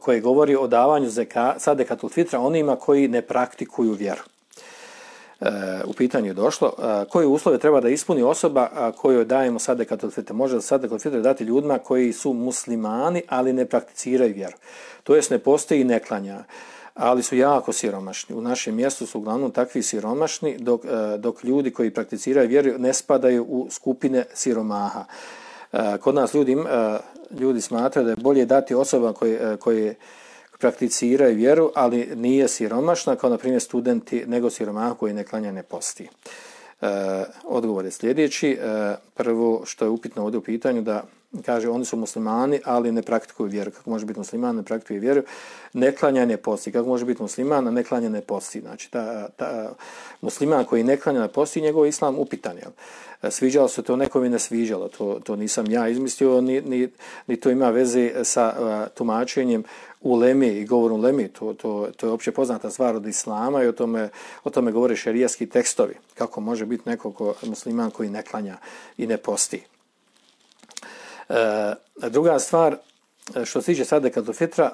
koje govori o davanju sadekatul fitra onima koji ne praktikuju vjeru. U pitanju je došlo koje uslove treba da ispuni osoba kojoj dajemo sadekatul fitr. Može sadekatul fitr dati ljudima koji su muslimani, ali ne prakticiraju vjeru. To jest ne postoji i ne klanja, ali su jako siromašni. U našem mjestu su uglavnom takvi siromašni, dok ljudi koji prakticiraju vjeru ne spadaju u skupine siromaha. Kod nas ljudi smatraju da je bolje dati osoba koje prakticiraju vjeru, ali nije siromašna, kao na primjer studenti, nego siromaha koji ne klanja, ne posti. Odgovor je sljedeći. Prvo što je upitno ovdje u pitanju, da kaže oni su muslimani, ali ne praktikuju vjeru. Kako može biti musliman, ne praktikuje vjeru? Ne klanja, ne posti. Kako može biti musliman, a ne klanja, ne posti? Znači, musliman koji ne klanja, ne posti, njegov islam upitan. Sviđalo se to nekom i ne sviđalo. To nisam ja izmislio, ni to ima veze sa tumačenjem uleme i govorom uleme. To je opće poznata stvar od islama i o tome govore šerijatski tekstovi. Kako može biti neko musliman koji ne klanja i ne posti. Druga stvar, što se tiče sadekatul fitra,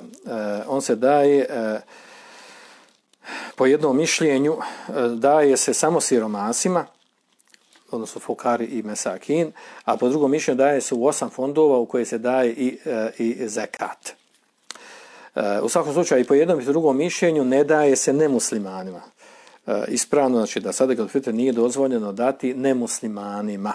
on se daje po jednom mišljenju, daje se samo siromasima, odnosno fukari i mesakin, a po drugom mišljenju daje se u 8 fondova u koje se daje i zekat. U svakom slučaju i po jednom i drugom mišljenju ne daje se nemuslimanima. Ispravno, znači da sadekatul fitr nije dozvoljeno dati nemuslimanima.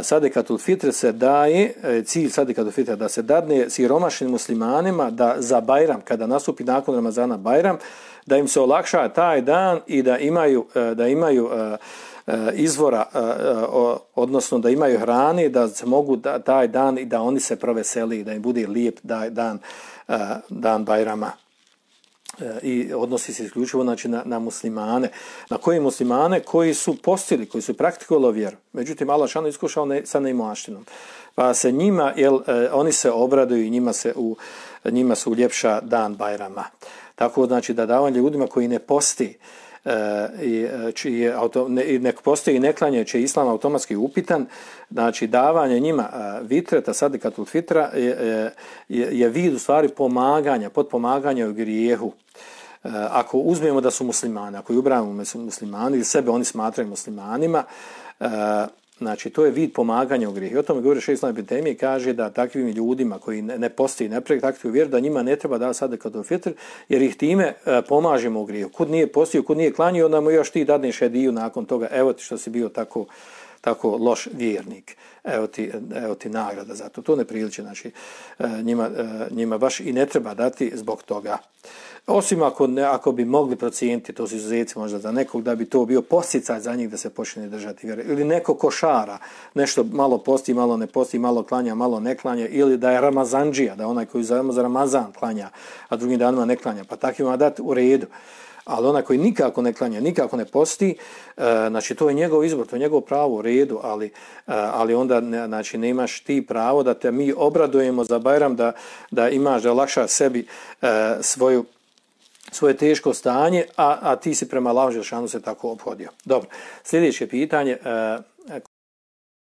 Sadekatul fitr se daje, cilj sadekatul fitra da se dadne siromašnim muslimanima da za Bajram, kada nastupi nakon Ramazana Bajram, da im se olakša taj dan i da imaju izvora, odnosno da imaju hrane, da se mogu taj dan i da oni se proveseli, da im bude lijep dan Bajrama. I odnosi se isključivo znači, na muslimane. Na koje muslimane? Koji su postili, koji su praktikovali vjeru. Međutim, Allah šano iskušao sa neimaštinom. Pa se njima, oni se obraduju i njima se uljepša dan Bajrama. Tako znači da davanje ljudima koji ne posti, ne postoji i ne klanja, će islam automatski upitan, znači davanje njima vitreta, sadekatul fitra je vid u stvari pomaganja, potpomaganja u grijehu. Ako uzmemo da su muslimani, ako ubrajamo muslimani ili sebe oni smatraju muslimanima, znači to je vid pomaganja u grijehu. I o tome govori šejh Islam ibn Tejmije, kaže da takvim ljudima koji ne postoji, ne praktikuju vjeru, da njima ne treba dati sadekatul fitr, jer ih time pomažemo u grijehu. Kud nije postio, kud nije klanio, onda mu još ti dadneš hediju nakon toga, evo ti što si bio tako loš vjernik. Evo ti nagrada za to. To ne priliči, znači njima baš i ne treba dati zbog toga. Osim ako bi mogli procijeniti, to su izuzeci možda za nekog, da bi to bio podsticaj za njih da se počne držati vjere. Ili neko košara, nešto malo posti, malo ne posti, malo klanja, malo ne klanja, ili da je Ramazandžija, da onaj koji za Ramazan klanja, a drugim danima ne klanja, pa takvima dati u redu. Ali onaj koji nikako ne klanja, nikako ne posti, znači to je njegov izbor, to je njegov pravo u redu, ali onda znači, nemaš ti pravo da te mi obradujemo za Bajram, da imaš, da olakšaš sebi svoje teško stanje, a ti si prema Allahu dželešanu se tako ophodio. Dobro, sljedeće pitanje,